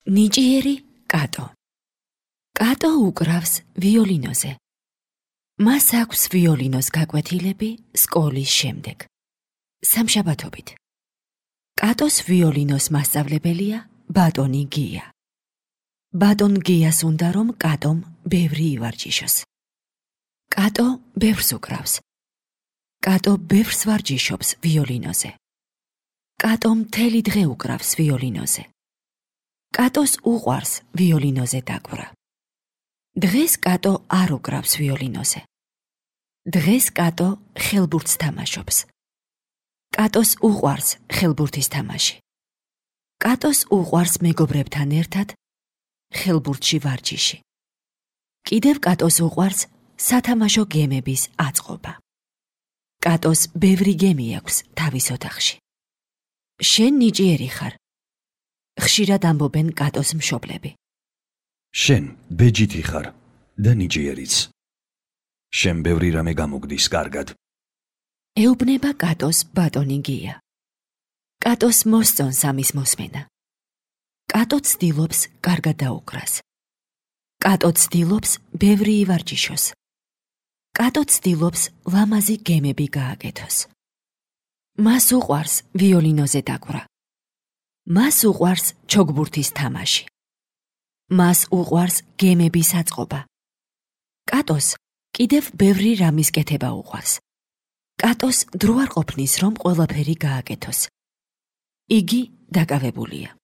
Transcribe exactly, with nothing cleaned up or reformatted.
ნიჭიერი კატო. კატო უკრავს ვიოლინოზე. მას აქვს ვიოლინოს გაკვეთილები სკოლის შემდეგ. სამშაბათობით. კატოს ვიოლინოს მასწავლებელია ბატონი გია. ბატონ გიას უნდა რომ კატომ ბევრი ივარჯიშოს. კატო ბევრს უკრავს. კატო ბევრს ვარჯიშობს ვიოლინოზე. კატო მთელი დღე უკრავს ვიოლინოზე. კატოს უყვარს ვიოლინოზე დაკვრა. დღეს კატო არ უკრავს ვიოლინოზე. დღეს კატო ხელბურთს თამაშობს. კატოს უყვარს ხელბურთის თამაში. კატოს უყვარს მეგობრებთან ერთად ხელბურთში ვარჯიში. კიდევ კატოს უყვარს სათამაშო გემების აწყობა. კატოს ბევრი გემი აქვს თავის ოთახში. შენ ნიჭიერი ხარ. ხშირად ამბობენ კატოს მშობლები. შენ ბეჯითი ხარ და ნიჭიერიც. შენ ბევრი რამე გამოგდის კარგად. ეუბნება კატოს ბატონი გია. კატოს მოსწონს ამის მოსმენა. კატო ცდილობს კარგად დაუკრას. კატო ცდილობს ბევრი ივარჯიშოს. კატო ცდილობს ლამაზი გემები გააკეთოს. მას უყვარს ვიოლინოზე დაკვრა. მას უყვარს ჩოგბურთის თამაში. მას უყვარს გემების აწყობა. კატოს კიდევ ბევრი რამის კეთება უყვარს. კატოს დრო არ ყოფნის რომ ყველაფერი გააკეთოს. იგი დაკავებულია.